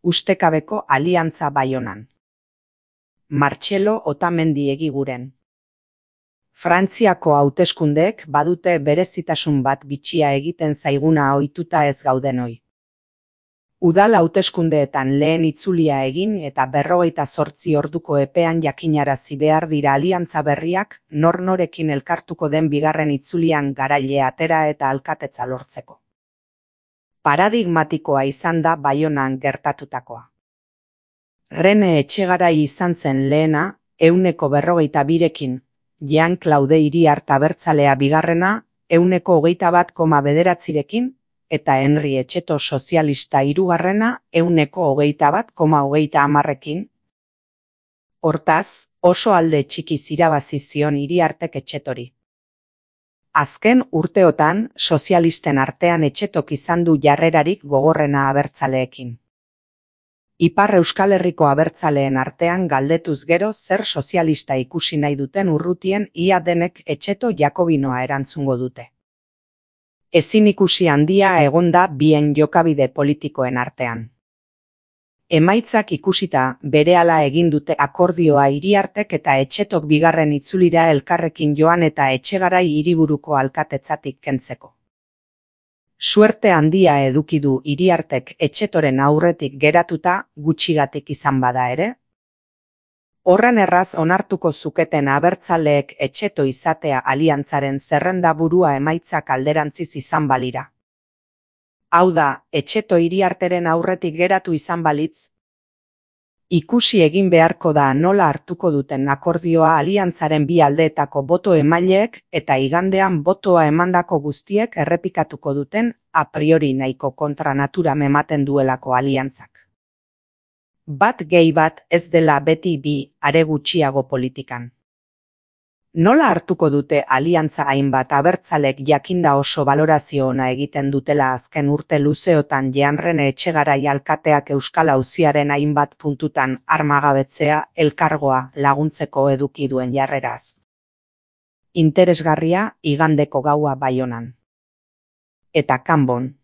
ustekabeko aliantza Baionan. Martxelo Otamendi Egiguren. Frantziako hauteskundeek badute berezitasun bat bitxia egiten zaiguna ohituta ez gaudenoi. Udal hauteskundeetan lehen itzulia egin eta 48 orduko epean jakinarazi behar dira aliantza berriak nor-norekin elkartuko den bigarren itzulian garaile atera eta alkatetza lortzeko. Paradigmatikoa izan da Baionan gertatutakoa. Rene Etxegarai izan zen lehena, 142rekin, Jean-Claude Iriart abertzalea bigarrena, 121,9rekin, eta Henri Etxeto sozialista hirugarrena, 121,30rekin. Hortaz, oso alde txikiz irabazi zion Iriartek Etxetori. Azken urteotan, sozialisten artean Etxetok izan du jarrerarik gogorrena abertzaleekin. Ipar Euskal Herriko abertzaleen artean galdetuz gero zer sozialista ikusi nahi duten urrutien ia denek Etxeto jakobinoa erantzungo dute. Ezin ikusi handia egonda bien jokabide politikoen artean. Emaitzak ikusita berehala egin dute akordioa Iriartek eta Etxetok bigarren itzulira elkarrekin joan eta Etxegarai hiriburuko alkatetzatik kentzeko. Suerte handia eduki du Iriartek Etxetoren aurretik geratuta gutxigatik izan bada ere. Horren erraz onartuko zuketen abertzaleek Etxeto izatea aliantzaren zerrendaburua emaitzak alderantziz izan balira. Hau da, Etxeto Iriarteren aurretik geratu izan balitz. Ikusi egin beharko da nola hartuko duten akordioa aliantzaren bi aldeetako boto emaileek eta igandean botoa emandako guztiek errepikatuko duten a priori nahiko kontranaturam ematen duelako aliantzak. Bat gehi bat ez dela beti bi are gutxiago politikan. Nola hartuko dute aliantza hainbat abertzalek jakinda oso balorazio ona egiten dutela azken urte luzeotan Rene Etxegarai alkateak Euskal Auziaren hainbat puntutan armagabetzea elkargoa laguntzeko eduki duen jarreraz. Interesgarria igandeko gaua Baionan. Eta kanbon.